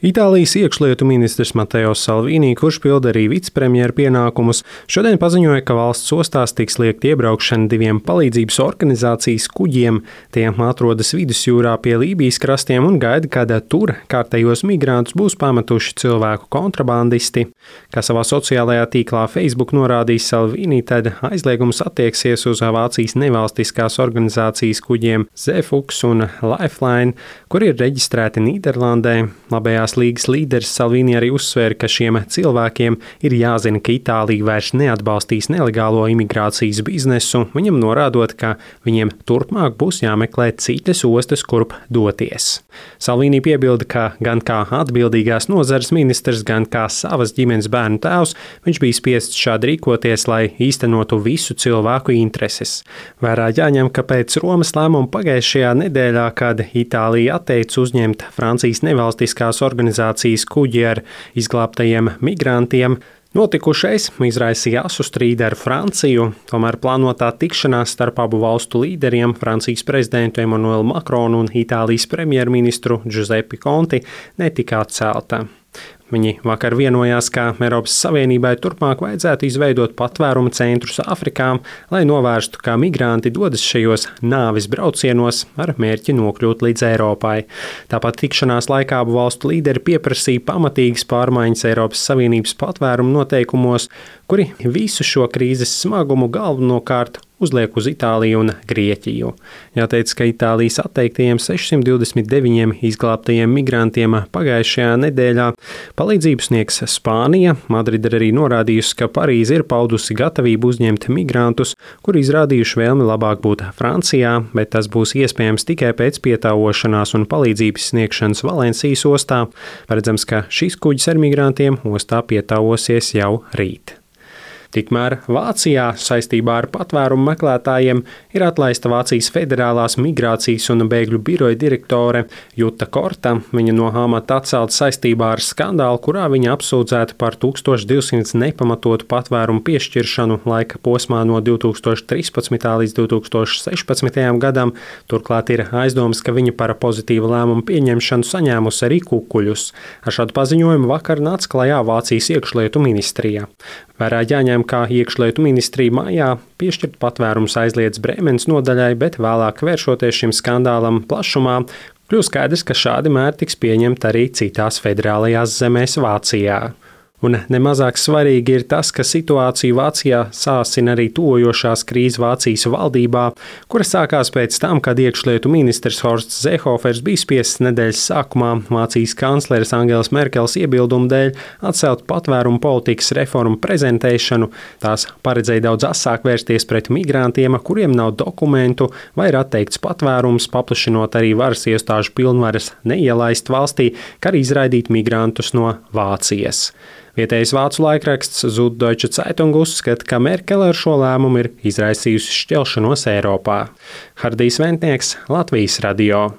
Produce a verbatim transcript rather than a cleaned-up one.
Itālijas iekšlietu ministrs Mateo Salvini, kurš pilda arī vicepremjera pienākumus, šodien paziņoja, ka valsts ostās tiks liekt iebraukšana diviem palīdzības organizācijas kuģiem. Tie atrodas vidusjūrā pie Lībijas krastiem un gaida, kad tur kārtējos migrantus būs pametuši cilvēku kontrabandisti. Kā savā sociālajā tīklā Facebook norādījis Salvini, tad aizliegums attieksies uz Vācijas nevalstiskās organizācijas kuģiem Zeefuchs un Lifeline, kuri ir reģistrēti Nīderlandē. Labējās līgas līderis Salvini arī uzsvēra, ka šiem cilvēkiem ir jāzina, ka Itālija vairs neatbalstīs nelegālo imigrācijas biznesu, viņam norādot, ka viņiem turpmāk būs jāmeklē citas ostas, kurp doties. Salvini piebilda, ka gan kā atbildīgās nozares ministrs, gan kā savas ģimenes bērnu tēvs, viņš bija spiests šādi rīkoties, lai īstenotu visu cilvēku intereses. Vērā jāņem, ka pēc Romas lēmuma pagājušajā nedēļā, kad Itālija atteica uzņemt Francijas nevalstiskās organizācijas kuģi ar izglābtajiem migrantiem, notikušais izraisīja asu strīdu ar Franciju, tomēr plānotā tikšanās starp abu valstu līderiem, Francijas prezidentu Emmanuelu Macronu un Itālijas premjerministru Giuseppe Conti, netika atcelta. Viņi vakar vienojās, ka Eiropas Savienībai turpmāk vajadzētu izveidot patvērumu centrus Āfrikā, lai novērstu, kā migranti dodas šajos nāves braucienos ar mērķi nokļūt līdz Eiropai. Tāpat tikšanās laikā abu valstu līderi pieprasīja pamatīgas pārmaiņas Eiropas Savienības patvērumu noteikumos, kuri visu šo krīzes smagumu galvenokārt uzliek uz Itāliju un Grieķiju. Jāteic, ka Itālijas atteiktajiem sešsimt divdesmit deviņiem izglābtajiem migrantiem pagājušajā nedēļā palīdzību sniegs Spānija. Madride ir arī norādījusi, ka Parīze ir paudusi gatavību uzņemt migrantus, kuri izrādījuši vēlmi labāk būt Francijā, bet tas būs iespējams tikai pēc pietāvošanās un palīdzības sniegšanas Valencijas ostā. Paredzams, ka šis kuģis ar migrantiem ostā pietāvosies jau rīt. Tikmēr Vācijā saistībā ar patvērumu meklētājiem ir atlaista Vācijas federālās migrācijas un bēgļu biroja direktore Juta Korta. Viņa no amata atcelta saistībā ar skandālu, kurā viņa apsūdzēta par tūkstoš divsimt nepamatotu patvērumu piešķiršanu laika posmā no divi tūkstoši trīspadsmitā līdz divi tūkstoši sešpadsmitajam gadam. Turklāt ir aizdomas, ka viņa par pozitīvu lēmumu pieņemšanu saņēmusi arī kukuļus. Ar šādu paziņojumu vakar nāca klajā Vācijas iekšlietu ministrija. Vērā jāņem, kā iekšlietu ministrija mājā piešķirt patvērums aizliedz Brēmenes nodaļai, bet vēlāk vēršoties šim skandālam plašumā, kļūst skaidrs, ka šādi mēri tiks pieņemti arī citās federālajās zemēs Vācijā. Un nemazāk svarīgi ir tas, ka situāciju Vācijā sāsina arī tojošās krīzes Vācijas valdībā, kura sākās pēc tam, kad iekšlietu ministrs Horsts Seehofers bija spiests nedēļas sākumā Vācijas kancleres Angelas Merkeles iebildumu dēļ atcelt patvērumu politikas reformu prezentēšanu. Tās paredzēja daudz asāk vērsties pret migrantiem, kuriem nav dokumentu, vai ir atteikts patvērums, paplašinot arī varas iestāžu pilnvaras neielaist valstī, kā arī izraidīt migrantus no Vācijas. Vietējais vācu laikraksts Süddeutsche Zeitung uzskata, ka Merkele ar šo lēmumu ir izraisījusi šķelšanos Eiropā. Hardijs Ventnieks, Latvijas radio.